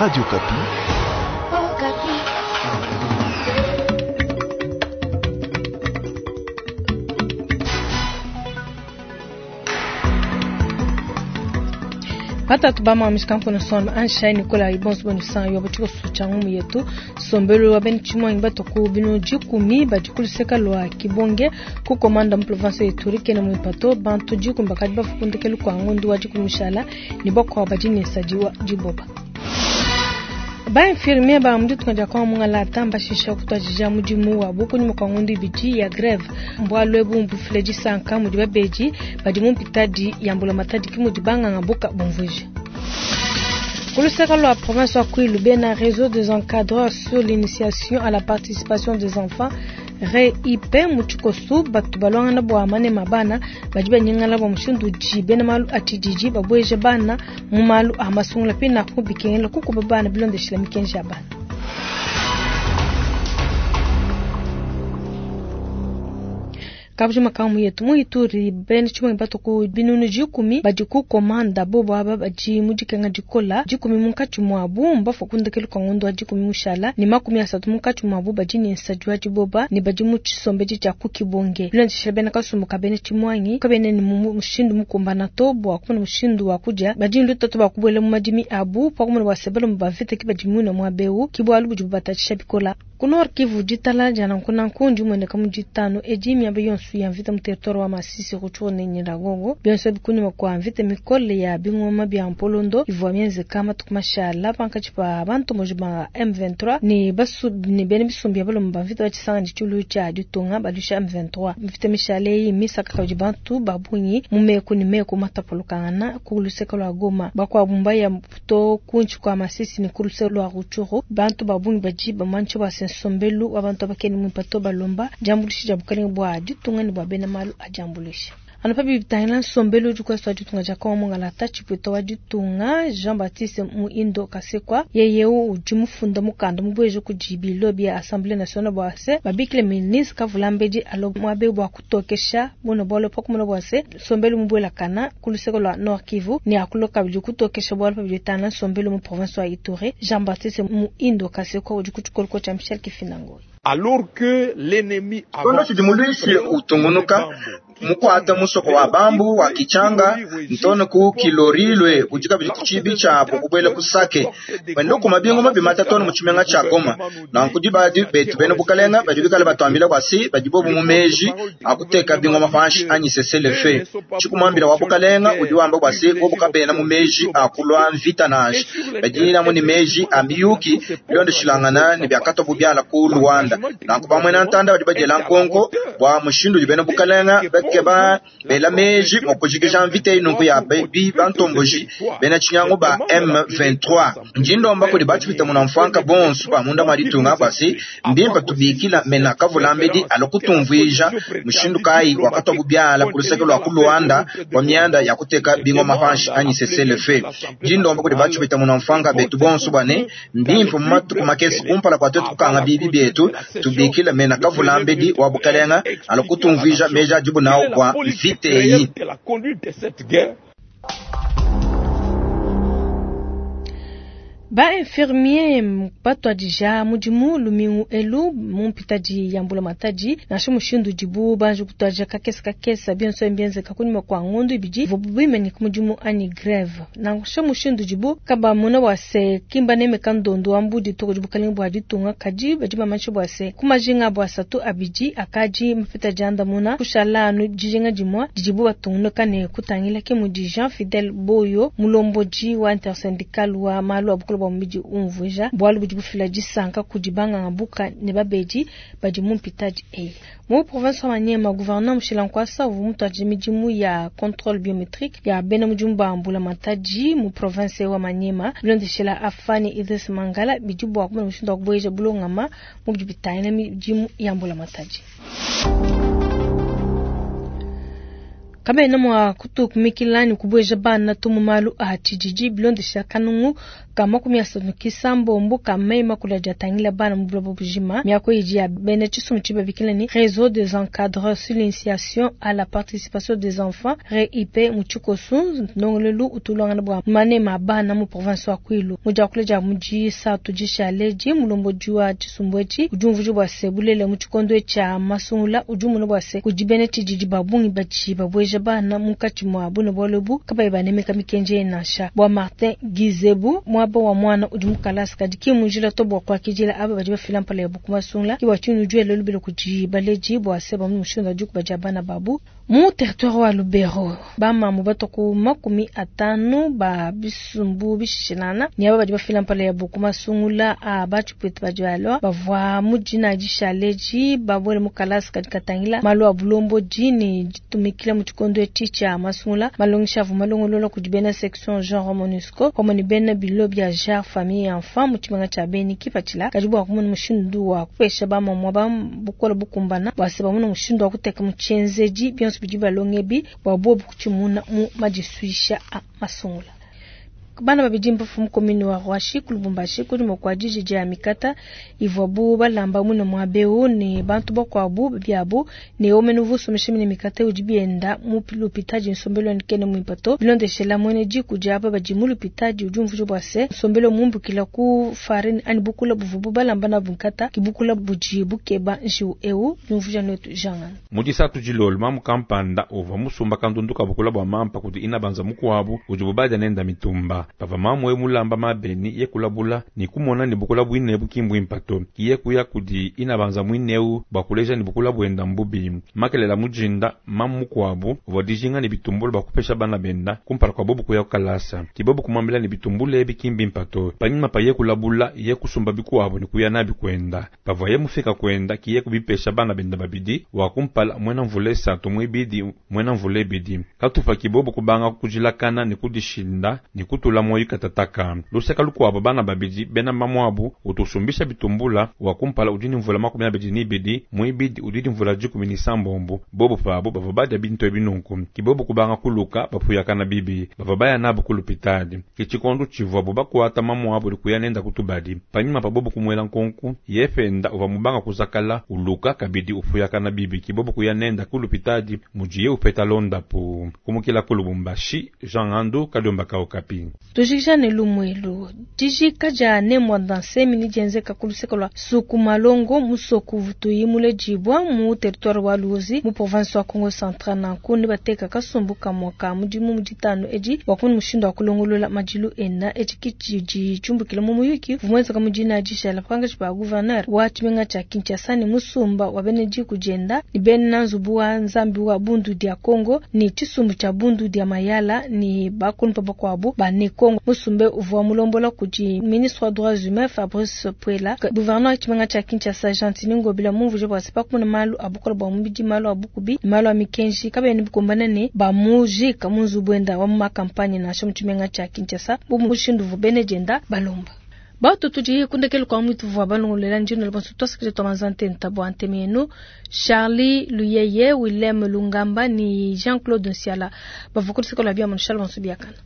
Radio Okapi. Batatu ba mamisha kankona son ansha Nicolas ibonso bonu yo butiko sucha ngumu yetu sombelo wa ben chimwangi batoku bino jikumi bajikuluseka lwa kibonge ku komanda mu province Ituri kene mu ipato bantu jikumi bakadi bafukundekelu kwa ngundu wa jikumishala ni bokwa bajini sajiwa jiboba. Ba infirmier ba mudi tukaja kwa mungala tamba shisha kutwajija mudimu wa buku nyuma kwa ngundu ibidi ya greve mbwa lwebu mbufile jisanka mudi babeji badi mumpitadi ya mbula matadi kimudi banganga buka bomvuja. Kuluseka lwa province wa Kwilu bena réseau des encadreurs sur l'initiation à la participation des enfants RIP muchikosu batu balwangana bwa mane mabana badi banyingala bwa mushindu ji bena malu atidiji babweje bana mu malu amasungula pina kubikengela kuko babana bilondeshela mikenji ya bana. Kabujuma makamu yetu mu Ituri bene chimwe bato ku binunu jikumi badi ku komanda bobo aba badi mudikenga dikola jikumi munkatshi mwabu mbafu kundekelu kwa ngondo wa jikumi mushala ni 30 munkatshi mwabu badi ni nsajwa jiboba ni badi mu chisombeji cha kukibonge bilondeshela bene kasumbuka bene chimwangi kabene ni mushindu mukumbana to bwa kumuna mushindu wa kuja badi lutatu bakubwele mu madimi abu pa kumuna wasebelo mubavite kibadi muna mwabeu kibwalu bujibu batatisha bikola. Ku Nord Kivu ditala jana nkuna nkundi mwendeka mu ditano edi miaba yonso ya mvita mu territoire wa Masisi Rutshuru ne Nyiragongo byonso bikunyuma kwa mvita mikole ya bingoma bya Mpolondo ivua mienzeka matuku mashala pankatshi pa bantu moji ba M23 ni basu ni bene bisumbi ya balomo ba mvita batshisanga ditshulu tshia ditunga balusha M23 mvita mishale eyi misaka kabidi bantu babungi mu meku ni meku matapolokangana ku luseke lua Goma bakuabu mbaya to kuntshi kwa Masisi ni ku luseke lua Rutshuru bantu babungi badi bamantsha bua sombelu wa bantu abakeni mwipato balomba jambulishi jabukalenga bwa ditunga ni bwa bena malu ajambulishi. Ano pabi bitangila nsombelu udi kwesa wa ditunga dia Kongo mongala tshipwito wa ditunga Jean-Baptiste Muindo Kasekwa yeye udi mufunda mukanda mubweje kudi bilo bia Assemblée nationale bua se babikile ministre Kavulambedi alo mwabe bua kutokesha buno bwalo pa kumona bua se nsombelu mubwelakana ku luseke lua Nord Kivu ni akuloka bidi kutokesha bwalo pa bitangila nsombelu mu province wa Ituri. Jean-Baptiste Muindo Kasekwa udi ku tshikoloko tshia Michel Kifinangoyi. Alors que l'ennemi Kono tshidimuluishi utungunuka mukwata musoko wa bambu wa kichanga ntono ku kilorilwe ujika bidi kuchibi chabo kubwela kusake wendo kuma bingo mabimata tono muchimenga cha Goma na nkudi badi betu beno bukalenga badi bikale batwambila kwasi badi bobu mumeji akuteka bingo mafanshi anyi sesele fe chikumambila wa bukalenga udi wamba kwasi bo bukabena mumeji akulwa mvita nashi badi na muni meji amiyuki bilondo shilangana ni byakato bubyala ku Rwanda na nkubamwe na ntanda badi bajela nkonko bwa mushindu beno bukalenga keba bela meji mokujikija mvita inunku ya bi bantomboji bena chinyango ba M23 njindomba kuli bachipita muna mfanka bonsu ba munda mwalitunga basi mbimpa tubikila mena kavulambedi alokutumvija mushindu kai wakatwa bubyala kuluseke lwa ku Luanda kwa mianda ya kuteka bingo mafanshi anyi CCLF njindomba kuli bachipita muna mfanka betu bonsu bane mbimpa mumatuku makesi kumpala kwa tetu kukanga bibi bietu tubikila mena kavulambedi wa bukalenga alokutumvija meja jibu nao kwa viteyi. Ba infirmier batwadija mudimu lumingu elu mumpitadi ya mbula matadi nansha mushindu dibu banji kutwadija kakesa kakesa bionso mbienzeka kunyuma kwa ngondu ibidi vubu bimanyika mudimu anyi greve nansha mushindu dibu kaba muna wase kimba nemeka ndondo wa mbudi toko dibu kalenga bua ditunga kadi badi bamanyisha bua se kumajinga bua satu abidi akadi mpitadi andamuna kushala anu dijinga dimua didibu batungunuka ne kutangila ke mudi Jean Fidel Boyo mulomboji wa intersyndical wa malu a bwa mubidi umvuja bwalu budi bufila disanka kudi banganga buka ne babedi badi mumpitadi eyi mu province wa Maniema gouverneur Mushila Nkwasa uvu mutwaji midimu ya contrôle biométrique ya bena mudimu ba mbula matadi mu province wa Maniema bilondeshela afani Idris Mangala bidi bwa kumona mushindu wa kubweja bulongama mu bidi bitangila midimu ya mbula matadi. Kabena mua kutukumikila ne kubueja bana to mu malu a tshididi bilondeshila kanungu ka 36 ka meyi makulu adi atangila bana mu buloba bujima. Miaku idi ya bena tshisumbu tshidi babikila ne Reseau des encadreurs sur l'initiation à la participation des enfants REIP mu tshikosu, ndongoluelu utu uluangana bua manema a bana mu province wa Kwilu. Mu diakula dia mu disatu dishale edi, mulombodi wa tshisumbu etshi udi umvuija bua se bulelela mu tshikondo etshi tshia masungula udi umona bua se kudi bena tshididi ba bungi badi babueja bana munkatshi mua bune bualu ebu kabayi banemeka mikenji eyi nansha. Bua Martin Gizebu, muaba wa muana udi mu kalasa kadi ki mu njila to bua kuakidila aba badi bafila mpala yabu ku masungula. Ke bua tshinyi udi wela lubila kudi baledi bua se bamone mushindu wa dikuba dia bana babu. Mu territoire wa Lubero, ba mamu batua ku 50 ba bisumbu bishishilangana ne aba badi bafila mpala yabu ku masungula a ba tshipuita badi balua bavua mu dina dishale edi babuele mu kalasa kadi katangila malu a bulombodi ne ditumikila mu tshikondo etshi tshia masungula. Malongesha avua malongolola kudi bena section genre Monusco pamue ne bena bilo bia genre famille et enfant mu tshimenga tshia Beni. Kipatshila kadi bua kumona mushindu wa kupesha ba mamu aba bukole bukumbana bua se bamone mushindu wa kuteka mu tshienzedi bionso bidi balonga ebi bua bobu kutshimuna mu madisuisha a masungula. Bana babidi mbafue mu commune wa Ruashi ku Lubumbashi kunyima kua diji dia mikata ivuabu balamba muine muaba eu ne bantu bakuabu biabu ne omene uvua usombesha mine mikata udi bienda mu lupitadi nsombelu wende kena muimpe to. Bilondeshela muena diku dia aba badi mu lupitadi udi umvuija bua se nsombelu mumbukila ku farine anyi bukula buvuabu balamba nabu nkata ke bukula budi bukeba njiwu eu, diumvuija nuetu Jean. Mu disatu dilolo, mamu kampanda uvua musumba kandundu ka bukula bua mampa kudi inabanza mukuabu udibu badia nenda mitumba. Pavua mamu eu mulamba mabeni, ye kulabula ne kumona ne bukula buine ebu ki mbuimpa to. Ki ye kuya kudi inabanza muine eu bua kuleja ne bukula buenda mbubi. Makelela mu dinda, mamu mukuabu uvua dijinga ne bitumbula bua kupesha bana benda kumpala kua bobu kuya ku kalasa. Ki bobu kumuambila ne bitumbula ebi ki mbimpa to. Panyima pa ye kulabula, ye kusumba bikuabu ne kuya nabi kuenda. Pavuaye mufika kuenda, ki ye kubipesha bana benda babidi, wa kumpala muena mvula isatu, muibidi muena mvula ibidi. Katupa ki bobu kubanga kudilakana ne kudishinda ne kutula muoyo katataka. Luseka lukuabu, bana babidi bena mamuabu utu usumbisha bitumbula, wa kumpala udi ne mvula 22, muibidi udi ne mvula 16. Bobu pabu bavua badia bintu ebi nunku, ki bobu kubanga kuluka bapuyakana bibi. Bavua baya nabu ku lupitadi. Ke tshikondo tshivuabu bakuata mamuabu ne kuya nenda ku tubadi. Panyima pa bobu kumuela nkonku, yeye penda uvua mubanga kuzakala, uluka, kabidi upuyakana bibi. Ke bobu kuya nenda ku lupitadi mudiye upeta londapu. Kumukila ku Lubumbashi, Jean Ngandu, kadiomba ka Okapi. Tujikija ne lumuelu. Dijika dia Ne Muanda Nsemi nedienzeka ku luseke lua Sukumalongo, musoku uvutuyi muledibua mu territoire wa Luozi mu province wa Kongo Central. Nanku nebateka kasumbu kamue ka mudimu mu ditanu edi bua kumona mushindu wa kulongolola madilu enda. Etshi ke tshidi tshiumbukila mu muyuki uvua muenzeka mu dina dishala pankatshi pa gouverneur wa tshimenga tshia Kinshasa ne musumba wa bena diku dienda ne bena nzubu wa Nzambi wa Bundu dia Kongo ne tshisumbu tshia Bundu dia Mayala ne bakulumpa bakuabu ba Ne Kongo. Musumba uvua mulombola kudi ministre wa droits humains Fabrice Puela. Gouverneur wa tshimenga tshia Kinshasa Gentiny Ngobila mumvuije bua se pa kumona malu a bukole bua mubidi, malu a bukubi ne malu a mikenji kabiena bikumbana ne bamujika mu nzubu wenda wa mu makampanye nansha mu tshimenga tshia Kinshasa bu mushindu uvua bena dienda balomba. Batu tudi ku ndekelu kua muitu vua balongolola ndino bonso tuasakidila tua manza ntenta bua ntema yenu. Charlie Luyeye, Willem Lungamba ni Jean-Claude Nsiala bavua ku luseke lua bia mu bonso biakana.